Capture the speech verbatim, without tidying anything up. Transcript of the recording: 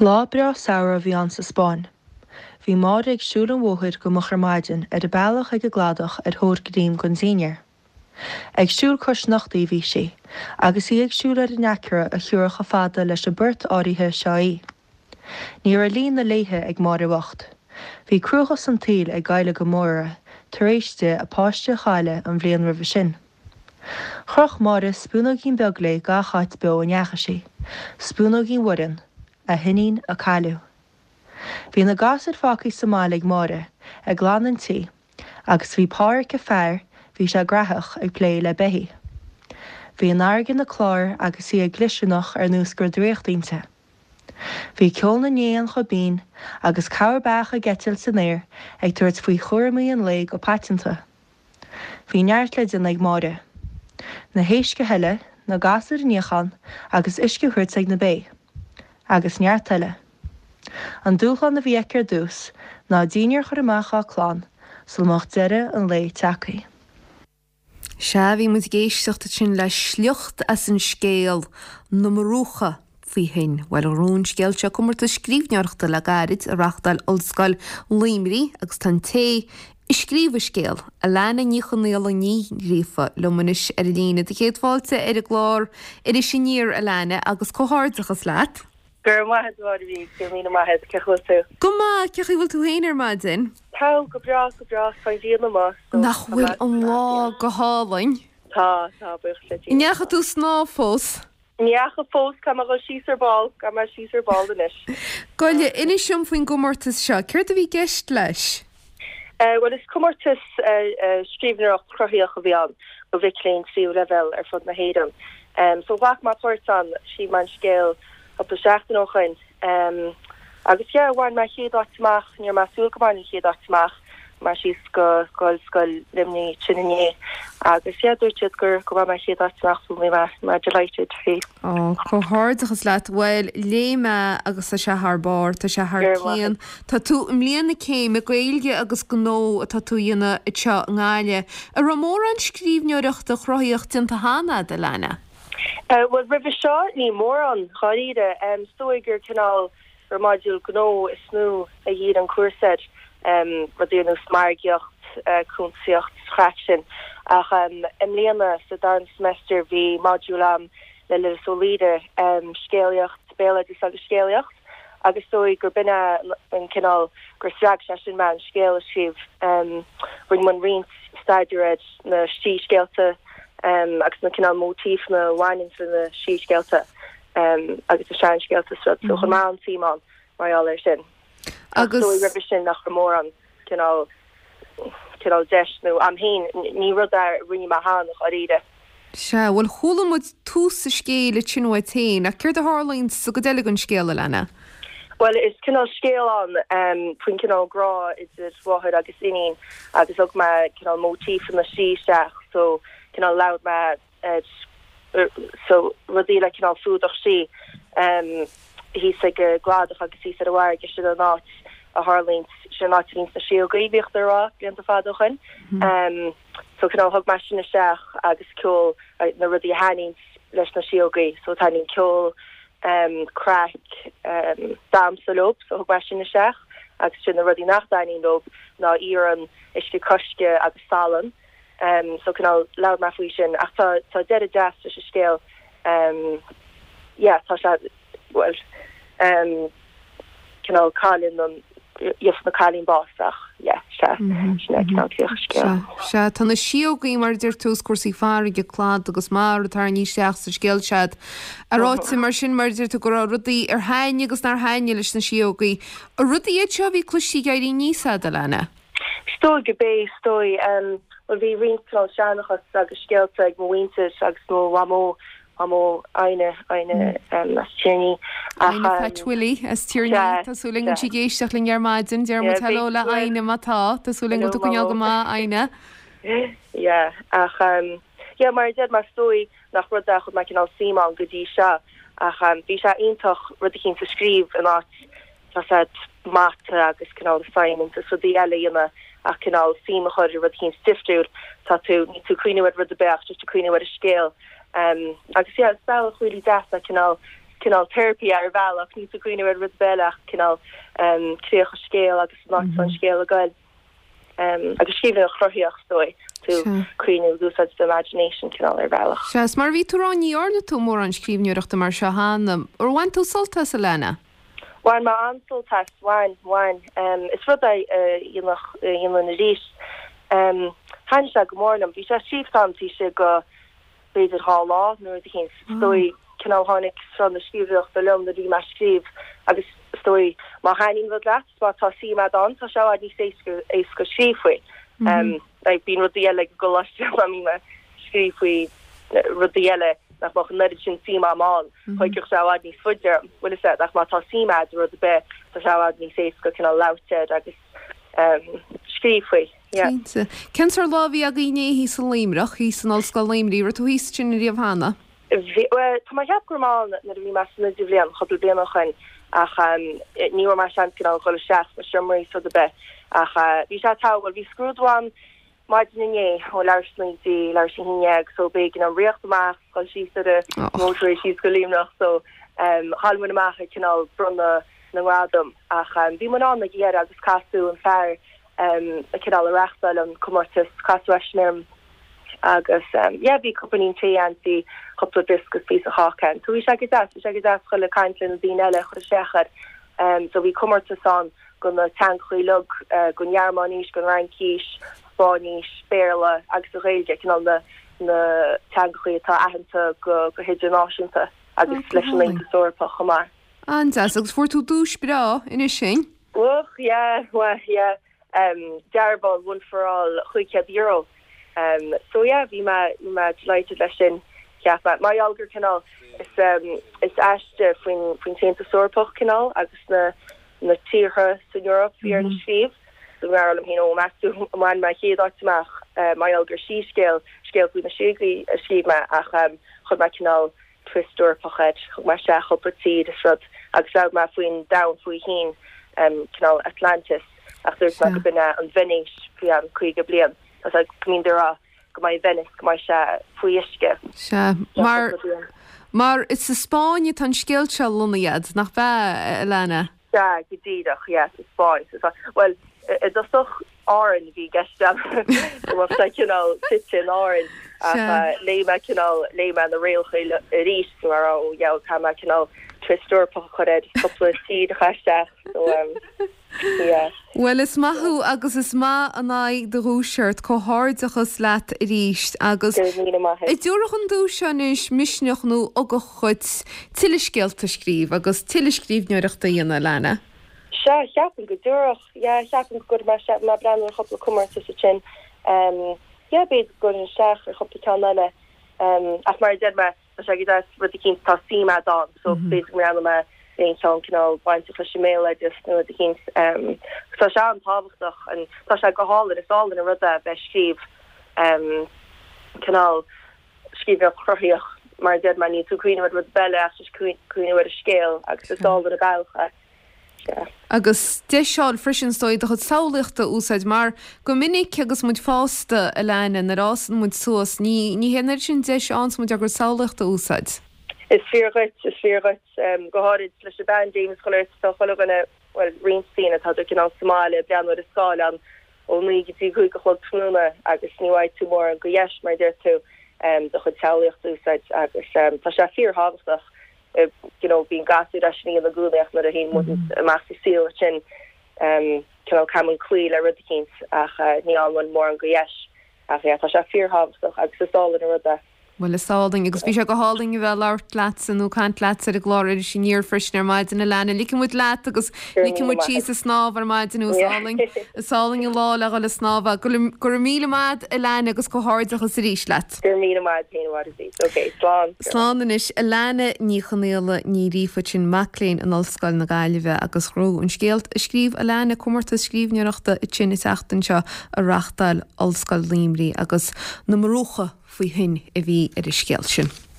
Lá breá samhraidh a bhí ann sa Spáinn. Bhí Máire ag siúl an bhóthair go moch ar maidin ar a bealach ag an gcladach ar thóir greim don dinnéar. Ag siúl cois sneachtaidh a bhí sí, agus í ag siúl ar an aicearra a thiúrfadh chomh fada leis an bport áirithe seo í. Ní raibh líon na léithe ag Máire bhocht. Bhí cruachás an tsaoil ag éileamh go mór uirthi tar éis di a páiste a chailleadh an bhliain roimhe sin. Chroch Máire spúnóigín beag léi gach áit beo a ndeachaigh sí, spúnóigín Mhuireann, a hiníon a cailleadh. Bhí na gasúir fágtha sa mbaile ag Máire, ag glanadh an tí, agus bhí Pádhraic a fear, bhí sé graitheach, ag plé le beithígh. Bhí an fharraige ina clár agus í ag glioscarnach ar nós go raibh draíocht inti. Bhí ceol na n-éan chomh binn agus corr beach ag eitilt san aer ag tabhairt faoi chúraimí an lae go paiteanta. Bhí neart le déanamh ag Máire. Na héisc a shileadh, na gasúir a níochán agus uisce a thabhairt ag na bé. Agus neart eile. An dúshlán a bhí aici ar dtús ná dinnéar a chur amach dá clann sula mbeadh deireadh an lae tagtha. Sea, bhí muid ag éisteacht ansin le sliocht as an scéal Na Murúcha faoi thoinn. Bhuel, ghnóthaigh an scéal seo comórtas scríbhneoireachta le gairid a reáchtáil Ollscoil Luimnigh agus tá an té a scríobh an scéal, Alana Ní Chonaola Ní Ghríofa, liom anois ar an líne. Do chéad fáilte ar an gclár Iris Aniar, Alana, agus comhghairdeachas leat. Go raibh maith agat, a Mháire Bhig, go raibh míle maith agat, cén chaoi a bhfuil tú? Go maith, cén chaoi a bhfuil tú féin ar maidin? Tá, go breá, go breá, tá an ghrian amuigh. so Nach tá bhfuil mé an lá go hálainn? Tá, tá, buíochas le Dia. An ndeachaigh tú snámh fós? Ní dheachaigh fós, caithfidh mé dhul síos ar ball, caithfidh mé síos ar ball anois. Gabh i leith, inis dom faoin gcomórtas seo, céard a bhí i gceist leis? Uh, well is comórtas uh, uh, scríbhneoireacht cruthaitheach a bhí ann do mhic léinn tríú leibhéal ar fud na hÉireann. Um, so ghlac mé páirt ann scríobh mé an scéal cúpla seachtain ó shin. Um, agus yeah, bhain mé chéad áit amach, ní raibh mé ag súil go mbainfinn chéad áit amach mar síos go go Ollscoil Luimnigh sin inné. Agus yeah, dúirt siad gur go bhain mé chéad áit amach so bhí mé mé delighted faoi. Ó, comhghairdeachas leat, bhuel léigh mé agus tá sé thar barr, tá sé thar Go raibh maith cionn. Tá tú i mbliain na céime Gaeilge agus gnó atá tú a dhéanamh anseo i nGaillimh. An raibh mórán scríbhneoireachta cruthaitheach déanta cheana agat, Alana? Uh, well roimhe seo ní mórán dáiríre um, is dóigh gur cineál gur modúl gnó is mó a dhírigh an cúrsa air um, rudaí ar nós margaíocht uh, cuntasaíocht craic sin ach um, i mbliana sa dara semester bhí modúl agam le Lillis Ó Laoire um, scéalaíocht béaloideas agus scéalaíocht agus is dóigh gur b'in an cineál gur spreag sé sin mé an scéal a scríobh um, rinne muid roinnt staidéar ar na síscéalta um, agus na cineál móitífeanna a bhaineann na síscéalta um, agus na seanscéalta so so chuir mé an-suim ann mar gheall air sin. Agus roimhe sin nach raibh mórán cineál cineál deis nó am féin ní rud a rinne mé cheana dáiríre. Sea, bhuel chuala muid tús an scéil ansin uait féin, ach céard a tharlaíonn sa gcuid eile den scéal Alana? Well is cineál scéal an um, faoin cineál grá idir mháthair agus iníon agus thug mé cineál móitífeanna na sí isteach so cineál labhair mé uh, so rudaí le cineál fuadach sí um, thíos ag an gcladach agus thíos ar an bhfarraige sin an áit a tharlaíonn sin an áit a bhíonn na síógaí bhíodh rá blianta fada ó shin. Um, so cineál thug mé sin isteach agus ceol uh, na rudaí a thaitníonn leis na síógaí, so taitníonn ceol um, craic um, damhsa leo, so thug mé sin isteach agus sin na rudaí nach dtaitníonn leo ná iarann uisce coisce agus salann. Um, so cineál labhair mé faoi sin ach tá tá deireadh deas leis an scéal um, yeah, tá sé well um, cineál cailleann an gheobhaidh an cailín bás ach yeah, sé sin é cineál críoch an scéil. Sea tá na síógaí mar deir tú cúrsaí farraige cladaigh agus mara tarraingthe isteach sa scéal sead. A ráite mar sin mar deir tú go raibh rudaí ar thaitin agus nár thaitin leis na síógaí. A rudaí iad seo bhí cluinstin ag éirí aníos agat, Alana. Is dóigh go bé is dóigh um, well bhí roinnt cineál seanchas agus scéalta ag mo mhuintir agus mo mhamó mamó Aine Aine um, as Tír an Fhia Aine Pat Willie as Tír an Fhia Tá súil agam go bhfuil sí ag éisteacht linn ar maidin deir muid hello le Aine má tá Tá súil agam go bhfuil go maith Aine. Yeah ach um, yeah, mar deir mé is dóigh nach rud a chuir mé cineál suim ann go dtí seo ach um, bhí sé iontach rud éicint a scríobh in áit tá mata agus cineál science is rudaí eile ina ach cineál suim a chur i rud éicint difriúil tá tú ní tú cuimhneamh ar rud beach just tú cuimhneamh ar a scéal um, agus yeah, is bealach really deas a cineál cineál therapy ar bhealach níl tú ag cuimhneamh ar rud eile ach cineál um, críoch an scéil agus an áit an scéal ag goil. Um, agus scríbhneoireacht chruthaíoch is dóigh tú cuimhneamh úsáid the imagination cineál ar bhealach. Sea, is mar bhí tú ag rá ní dhearna tú mórán scríbhneoireachta mar seo cheana. Ar bhain tú sult as Alana? Bhain mé an-sult as bhain bhain um, is rud é dhéanfadh dhéanfainn arís. Um, Thaithin sé go mór liom, bhí sé scríofa taobh istigh de b'fhéidir dhá lá nó rud éigin is dóigh cineál tháinig sruth na scríbhneoireachta liom nuair a bhí mé ag scríobh agus is dóigh má thaitníonn rud leat má tá suim agat ann tá sé i bhfad níos éasca éasca scríobh faoi. Um, like, bíonn rudaí eile go láiste má bhím ag scríobh faoi rudaí eile nach mbeadh an oiread sin suim agam ann thógfadh sé i bhfad níos faide bhfuil sé ach má tá suim agat i rud ar bith tá sé i bhfad níos éasca cineál labhairt air agus um, scríobh faoi. Yeah. Cinnte. Cén sórt lá a bhí againn inné thíos i Luimneach, thíos in Ollscoil Luimnigh, raibh tú thíos ansin riamh cheana? Bhí well, tá mé ag ceapadh go raibh mé ann nuair a bhí mé san idirbhliain cúpla bliain ó shin ach um, ní raibh mé seans cineál dul isteach sna seomraí is rud ar bith ach uh, bhí sé tá well bhí scrúdú ann maidin inné ó leathuair tar éis a naoi go dtí leathuair tar éis a haon déag so b'éigean dom rith amach dul síos ar an motorway síos go Luimneach so um, chaill muid amach ag cineál bronnadh na ngradam ach um, bhí muid ann ag deireadh agus casadh an fear um, a cineál a reáchtáil an comórtas casadh eisean orm agus um, yeah, bhí cupán tae ann bhí cúpla briosca píosa cáca ann. So bhí sé go deas, bhí sé go deas chuile caint le na daoine eile chur isteach air. Um, so bhí comórtas ann do na teangacha uilig uh, don Ghearmáinis, don Fhraincis, Spáinnis, Béarla agus an Ghaeilge cineál na na teangacha atá aitheanta go go hidirnáisiúnta agus Oh, leis an Aontas Eorpach chomh maith. An-deas agus fuair tú duais breá ina sin? Och yeah, well, yeah. Um, dearbhán one for all cúig chéad euro. Um, so yeah, bhí mé bhí mé delighted leis sin cheap mé. Mar gheall gur cineál is um, is aiste faoin faoin Aontas Eorpach cineál agus na na tíortha san Eoraip bhí orm scríobh. So mar liom féin ó meas tú an mbainfidh mé chéad áit amach uh, mar gheall gur síscéal scéal faoi na síogaí a scríobh mé ach um, chuir mé cineál twist Eorpach air thug mé isteach cúpla tír is rud agus labhair mé faoin domhan faoi thoinn um, cineál Atlantis ach dúirt mé go b'in an Veinéis faoi an caoga bliain. Tá go mbíonn rá go mbeidh Venice go mbeidh sé faoi uisce. Sea mar mar is sa Spáinn atá an scéal seo lonnaithe nach ea Alana? Sea go díreach yes, sa Spáinn. So, well i dtosach Árainn bhí i gceist go sé cineál tite in Árainn léigh mé cineál léigh mé na rialacha arís mar ó yeah tá mé cineál twist Eorpach chur air cúpla tír isteach so um, yeah. Well is maith thú agus is maith an aghaidh do dhuais ort comhghairdeachas leat arís agus Go raibh míle maith. An dtabharfadh an duais seo anois misneach nó ugach duit tuilleadh scéalta a scríobh agus tuilleadh scríbhneoireachta a dhéanamh Alana. Sea ceapaim go dtabharfadh yeah, ceapaim go mar se má breathnú ar chúpla comórtas sin um, yeah, b'fhéidir go isteach ar chúpla ceann eile um, ach mar a deir mé tá sé go deas rud éicint tá suim agat ann so b'fhéidir go mbreathnóidh mé aon cheann cineál bainteach leis an mbéaloideas nó rud éicint um, tá sé an-tábhachtach an tá sé go hálainn is álainn an rud é bheith scríobh um, cineál scríbhneoireacht chruthaíoch mar deir mé níl tú ag cuimhneamh ar rud eile ach cuimhneamh ar an scéal agus is álainn an bealach é. Yeah. Agus deis freisin is dóigh do chuid samhlaíochta a úsáid mar go minic agus muid fásta Alana nuair a fhásann muid suas ní ní hé sin deis an muid agus samhlaíocht a úsáid. Is fíor dhuit is fíor dhuit um, go háirid leis an bpaindéim chuile tá chuile dhuine well roinnt daoine tá cineál sa mbaile breathnú ar scáileán ó naoi go dtí cúig a chlog tráthnóna agus ní bhfaighidh tú mórán de dheis mar deir tú um, do chuid samhlaíocht a úsáid agus um, tá sé fíorthábhachtach uh, you know, bíonn gasúir leis ní na gúnaach nuair a théann muid amach sa saol sin um, cineál caithfidh muid cloí le rud éicint ach uh, ní fhaigheann mórán de dheis ach yeah, tá sé fíorthábhachtach agus is álainn an rud é. Well is álainn agus bhí sé go hálainn a bheith labhairt leat nó caint leat ar an gclár Iris Aniar freisin ar maidin Alana ligfidh muid leat agus ligfidh muid síos ag snámh ar maidin is álainn is álainn an lá le dhul ag snámh go raibh míle maith Alana agus comhghairdeachas arís leat. Gur míle maith féin Okay, slán. Slán anois Alana Ní Chonaola Ní Ghríofa sin mac léinn in Ollscoil na Gaillimhe agus ghnóthaigh an scéal a scríobh Alana comórtas scríbhneoireachta sin an tseachtain seo a reáchtáil Ollscoil Luimnigh agus na murúcha faoi thoinn a bhí ar an scéal sin.